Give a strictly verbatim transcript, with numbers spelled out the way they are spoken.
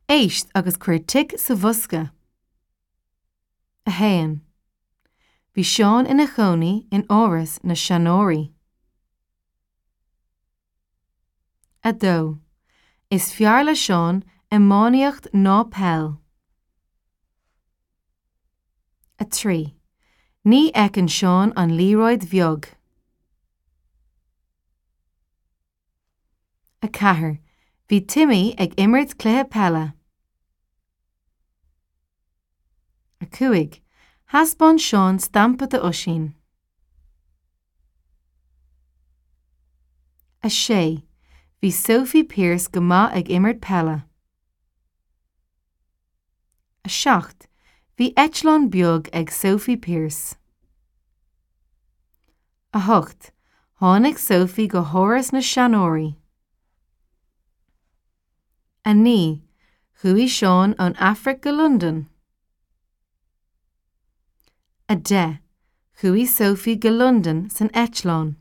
Éist agus cuir tic sa bhosca. A haon. Bhí Seán ina chónaí in áras na seanóirí. A dó. Is fearr le Seán iománaíocht ná peil. A trí. Ní fheiceann Seán an liathróid bheag. A ceathair. Bhí Timmy ag imirt cluiche peile. A cúig. Thaispeáin Seán stampa d'Oisín. A sé. Bhí Sophie Pierce go maith ag imirt peile. A seacht. Bhí eitleán beag ag Sophie Pierce. A hocht. Tháinig Sophie go háras na seanóirí. A naoi. Chuaigh Seán ón Afraic go Londain. A deich. Chuaigh Sophie go Londain san eitleán.